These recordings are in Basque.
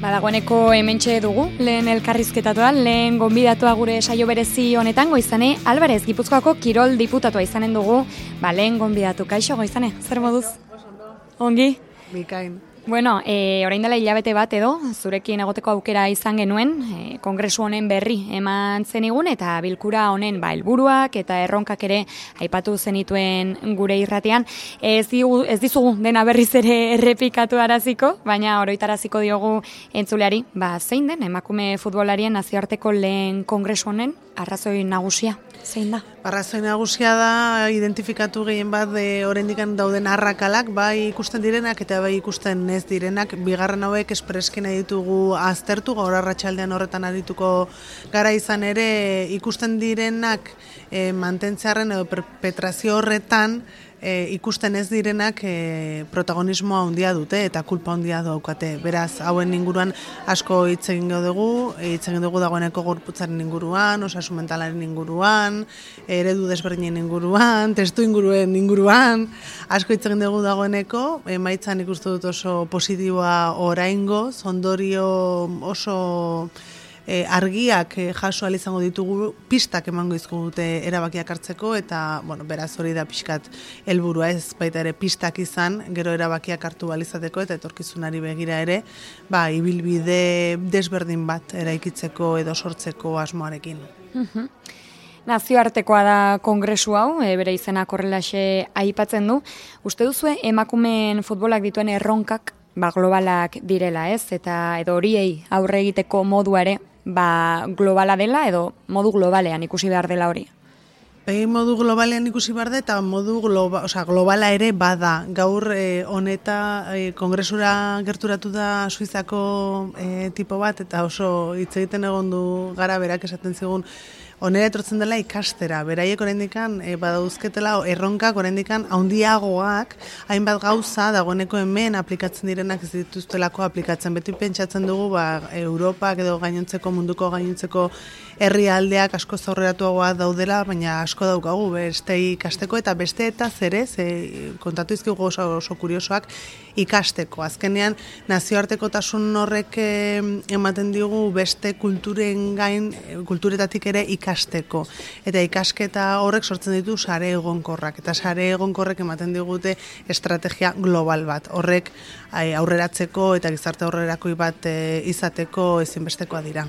Dagoeneko hementxe dugu, lehen elkarrizketatua, lehen gonbidatua gure saio berezi honetan, Goizane Alvarez, Gipuzkoako kirol diputatua izanen dugu, lehen gonbidatu. Kaixo, Goizane, zer moduz? Ongi? Bikain. Bueno, orain dela hilabete bat edo, zurekin egoteko aukera izan genuen, kongresu honen berri eman zenigun, eta bilkura honen helburuak eta erronkak ere aipatu zenituen gure irratean. Ez dizugu dena berriz ere errepikatu araziko, baina oroitaraziko diogu entzuleari, zein den emakume futbolarien nazioarteko lehen kongresu honen arrazoi nagusia, zein da? Arrazoi nagusia da identifikatu gehien bat oraindik dauden arrakalak, bai ikusten direnak eta bai ikusten ez direnak. Bigarren hauek espreski nahi ditugu aztertu, gaur arratsaldean horretan arituko gara izan ere ikusten direnak mantentzearen edo perpetrazio horretan ikusten ez direnak protagonismoa handia dute eta kulpa handia daukate. Beraz, hauen inguruan asko hitz egin dugu dagoeneko gorputzaren inguruan, osasun mentalaren inguruan, eredu desberdinen inguruan, testu inguruen inguruan, asko hitz egin dugu dagoeneko, emaitzan ikustu dut oso positiboa oraingoz, ondorio oso argiak jaso ahal izango ditugu, pistak emango dute erabakiak hartzeko, eta beraz hori da pixkat helburua, ez baita ere pistak izan, gero erabakiak hartu ahal izateko eta etorkizunari begira ere, ibilbide desberdin bat eraikitzeko edo sortzeko asmoarekin. Nazioartekoa da kongresu hau, bere izenak horrelaxe aipatzen du. Uste duzue emakumeen futbolak dituen erronkak globalak direla, ez? Eta edo horiei aurre egiteko modua ere globala dela edo modu globalean ikusi behar dela hori? Modu globalean ikusi behar da eta modu globala ere bada. Gaur kongresura gerturatu da Suizako tipo bat eta oso hitz egiten egon du gara berak esaten zigun honera etortzen dela ikastera, beraiek oraindikan badauzketela erronkak oraindikan handiagoak, hainbat gauza dagoeneko hemen aplikatzen direnak ez dituztelako aplikatzen. Beti pentsatzen dugu Europak edo gainontzeko munduko gainontzeko herrialdeak asko aurreratuagoa daudela, baina asko daukagu beste ikasteko eta beste eta zerez kontatu izkigu oso kuriosoak ikasteko. Azkenean nazioartekotasun horrek ematen digu beste kulturen gain, kulturetatik ere ikasteko. Eta ikasketa horrek sortzen ditu sare egonkorrak. Eta sare egonkorrek ematen digute estrategia global bat. Horrek aurreratzeko eta gizarte aurrerakoi bat izateko ezinbestekoa dira.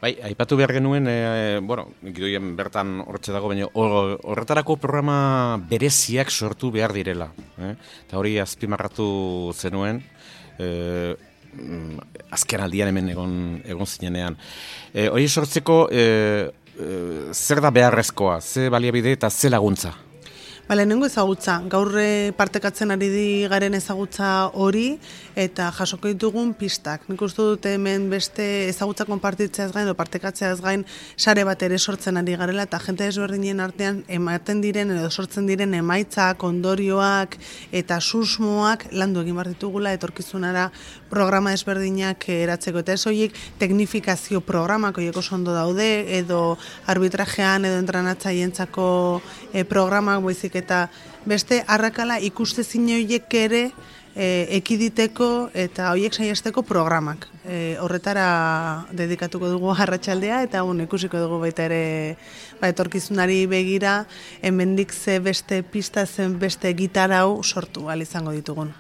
Aipatu behar genuen, gidoien bertan hortxe dago, baina horretarako programa bereziak sortu behar direla. Eta hori azpimarratu zenuen, azken aldian hemen egon zinenean. Hori sortzeko, zer da beharrezkoa, ze baliabide eta ze laguntza? Lehenengo ezagutza, gaur partekatzen ari garen ezagutza hori eta jasoko ditugun pistak. Nik uste dut hemen beste ezagutza konpartitzeaz gain edo partekatzeaz gain sare bat ere sortzen ari garela eta jente desberdinen artean ematen diren edo sortzen diren emaitzak, ondorioak eta susmoak landu egin behar ditugula etorkizunara programa desberdinak eratzeko. Eta ez horiek teknifikazio programak horiek oso ondo daude edo arbitrajean edo entrenatzaientzako programak baizik eta beste arrakala ikustezin horiek ere ekiditeko eta horiek saiesteko programak. Horretara dedikatuko dugu arratsaldea eta ikusiko dugu baita ere etorkizunari begira hemendik ze beste pista zen beste gitarau sortu ahal izango ditugun.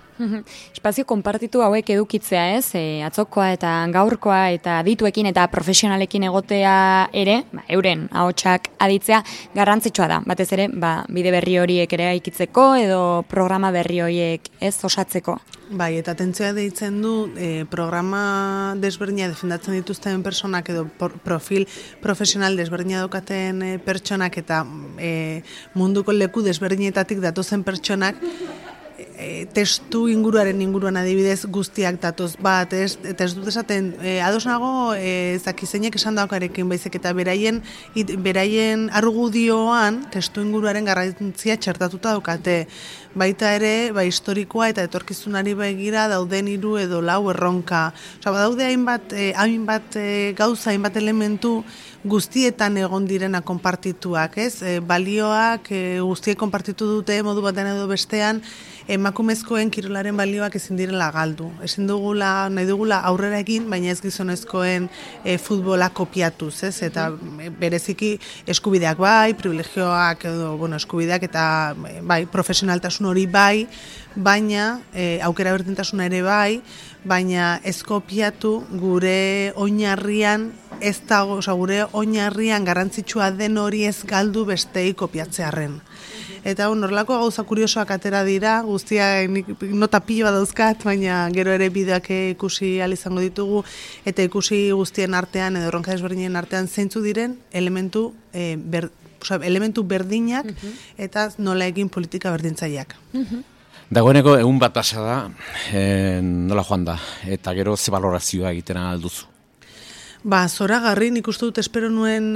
Espazio konpartitu hauek edukitzea, ez? Atzokoa eta gaurkoa eta adituekin eta profesionalekin egotea ere, euren ahotsak aditzea garrantzitsua da. Batez ere, bide berri horiek ere aikitzeko edo programa berri horiek ez osatzeko. Eta atentzioa deitzen du programa desberdina defendatzen dituzten pertsonak edo profil profesional desberdina daukaten pertsonak eta munduko leku desberdinetatik datozen pertsonak testu inguruan adibidez guztiak datoz bat, eta ez dut esaten, ados nago zakizeinek esan daukarekin baizik eta beraien argudioan testu inguruaren garrantzia txertatuta daukate. Baita ere, historikoa eta etorkizunari begira dauden 3 edo 4 erronka. Badaude hainbat gauza, hainbat elementu guztietan egon direna konpartituak, ez? Balioak guztiek konpartitu dute modu batean edo bestean, emakumezkoen kirolaren balioak ezin direla galdu. Ezin dugula, nahi dugula aurrera egin, baina ez gizonezkoen futbola kopiatuz, ez? Eta bereziki eskubideak bai, privilegioak edo, eskubideak eta bai, profesionaltasun hori bai, baina aukera berdintasuna ere bai, baina ez kopiatu gure oinarrian ez dago, gure oinarrian garrantzitsua den hori ez galdu bestei kopiatzearren. Eta horrelako gauza kuriosoak atera dira, guztia nota piloa dauzkat, baina gero ere bideoak ikusi ahal izango ditugu, eta ikusi guztien artean edo erronka desberdinen artean zeintzu diren elementu berdinak eta nola egin politika berdintzaileak. Dagoeneko egun bat pasa da, nola joan da, eta gero ze balorazioa egiten alduzu? Zoragarri, nik uste dut espero nuen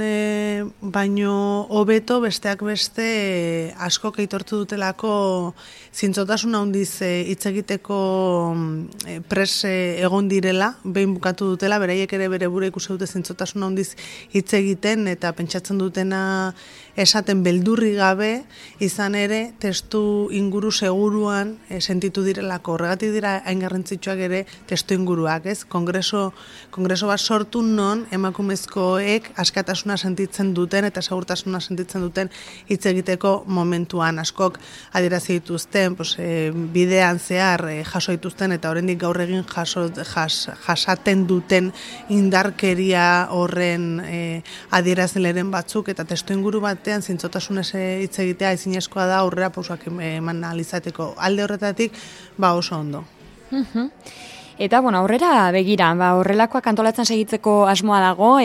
baino hobeto besteak beste asko aitortu dutelako zintzotasun handiz hitz egiteko pres egon direla, behin bukatu dutela, beraiek ere bere bure ikusi dute zintzotasun handiz hitz egiten eta pentsatzen dutena esaten beldurri gabe, izan ere testu inguru seguruan sentitu direlako. Horregatik dira hain garrantzitsuak ere testu inguruak, ez? Kongreso bat sortu non emakumezkoek askatasuna sentitzen duten eta segurtasuna sentitzen duten hitz egiteko momentuan. Askok adierazi dituzten, bidean zehar jaso dituzten eta oraindik gaur egin jasaten duten indarkeria horren adierazleren batzuk eta testu inguru batean zintzotasunez hitz egitea ezinezkoa da aurrera pausoak eman ahal izateko. Alde horretatik oso ondo. Eta, aurrera begira, horrelakoak antolatzen segitzeko asmoa dago,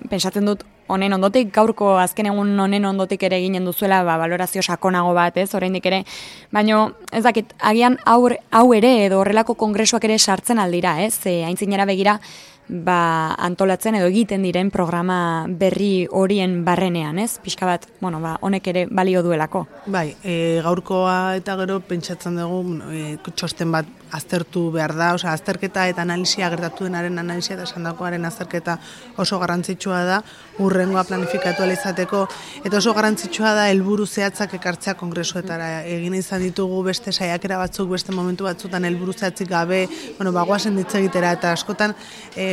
pentsatzen dut honen ondotik, gaurko azken egun honen ondotik ere eginen duzuela, balorazio sakonago bat, ez, oraindik ere, baina ez dakit, agian hau ere edo horrelako kongresuak ere sartzen aldira, ez, aintzinera begira, antolatzen edo egiten diren programa berri horien barrenean, ez? Pixka bat, honek ere balio duelako. Bai, gaurkoa eta gero pentsatzen dugu txosten bat aztertu behar da, azterketa eta analisia gertatu denaren analisia eta esandakoaren azterketa oso garrantzitsua da, hurrengoa planifikatu izateko, eta oso garrantzitsua da helburu zehatzak ekartzea kongresuetara. Egin izan ditugu beste saiakera batzuk, beste momentu batzutan helburu zehatzik gabe, bagoazen ditz egitera, eta askotan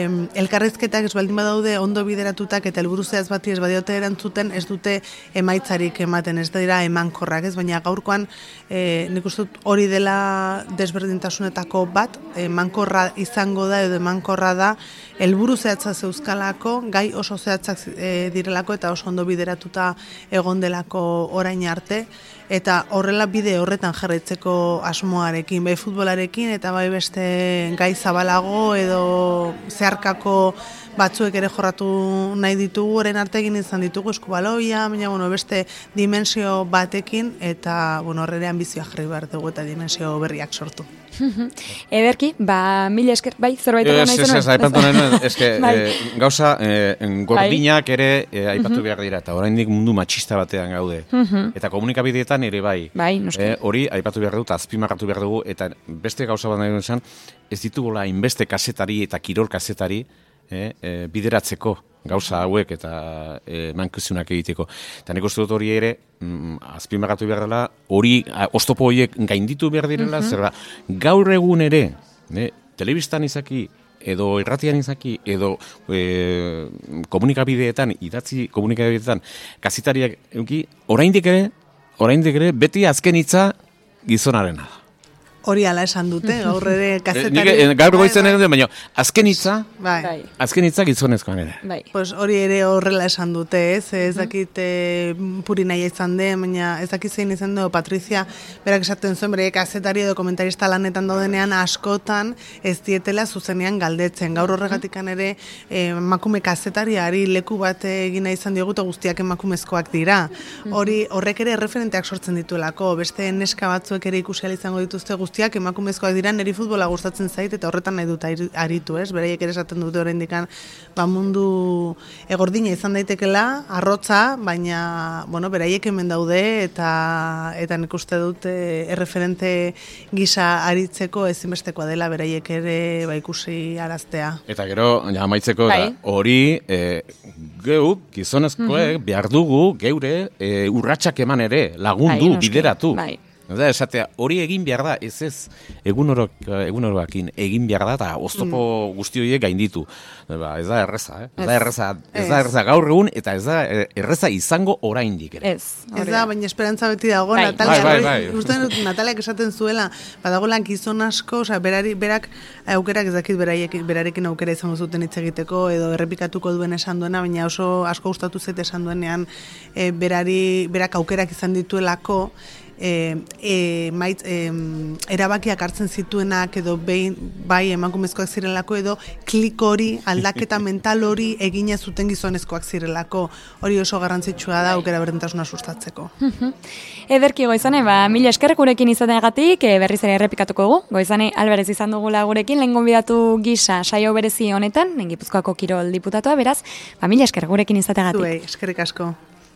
elkarrizketak ez baldin badaude ondo bideratutak eta helburu zehatz bati ez badiote erantzuten ez dute emaitzarik ematen, ez dira emankorrak, ez, baina gaurkoan nik uste dut hori dela desberdintasunetako bat, emankorra izango da edo emankorra da helburu zehatza zeuzkalako, gai oso zehatzak direlako eta oso ondo bideratuta egon delako orain arte, eta horrela bide horretan jarraitzeko asmoarekin, bai futbolarekin eta bai beste gai zabalago edo zeharkako batzuek ere jorratu nahi ditugu, orain arte egin izan ditugu eskubaloia, baina beste dimensio batekin eta horrere ambizioa jarri behar dugu eta dimensio berriak sortu. Ederki, mila esker, bai, zerbait nahi zenuen? Ez, aipatu nahi, eske gauza gordinak ere aipatu behar dira, eta oraindik mundu matxista batean gaude. Eta komunikabideetan ere bai. Hori aipatu behar dut, azpimarratu behar dugu, eta beste gauza bat nahi izan, ez ditugula inbeste kazetari eta kirol kazetari bideratzeko gauza hauek eta mankizunak egiteko. Eta nik uste dut hori ere, azpimarratu behar dela, hori oztopo horiek gainditu behar direla, zer da, gaur egun ere, telebistan izaki, edo irratian izaki, edo komunikabideetan, idatzi komunikabideetan, kazetariak euki, oraindik ere, beti azken hitza gizonarena da. Hori ala esan dute, gaur ere kazetari... Gaur goizen ere, baina azken hitza gizonezkoan ere. Pues hori ere horrela esan dute, ez dakit puri nahi izan den, baina ez dakit zein izan du, Patrizia berak esaten zuen, bere kazetari edo komentarista lanetan daudenean askotan ez dietela zuzenean galdetzen. Gaur horregatikan ere emakume kazetariari leku bat egina izan diogu eta guztiak emakumezkoak dira. Horrek ere referenteak sortzen dituelako, beste neska batzuek ere ikusi izango dituzte guztiak emakumezkoak dira, niri futbola gustatzen zait eta horretan nahi dut aritu, ez? Beraiek ere esaten dute oraindikan mundu egordina izan daitekela, arrotza, baina beraiek hemen daude eta nik uste dut erreferente gisa aritzeko ezinbestekoa dela beraiek ere ikusi araztea. Eta gero, amaitzeko, hori gizonezkoek, behar dugu, geure, urratsak eman ere, lagundu, bideratu. Da, esatea, hori egin behar da, ez egunoroakin egin behar da, eta oztopo guzti horiek gainditu. Ez da erreza, ez da erreza gaur egun, eta ez da erreza izango oraindik ere. Ez da, baina esperantza beti dago, Nataliak esaten zuela, badagoela gizon asko, berak aukerak ez dakit berarekin aukera izango zuten hitz egiteko, edo errepikatuko duen esan duena, baina oso asko gustatu zait esan duenean, berak aukerak izan dituelako, erabakiak hartzen zituenak edo bai emakumezkoak zirelako edo klik hori, aldaketa mental hori egina zuten gizonezkoak zirelako. Hori oso garrantzitsua da aukera berdintasuna sustatzeko. Ederki Goizane, mila esker gurekin izateagatik, berriz ere errepikatuko dugu. Goizane Alvarez izan dugula gurekin, lehen gonbidatu gisa saio berezi honetan, Gipuzkoako kirol diputatua, beraz, mila esker gurekin izateagatik. Zuei, eskerrik asko.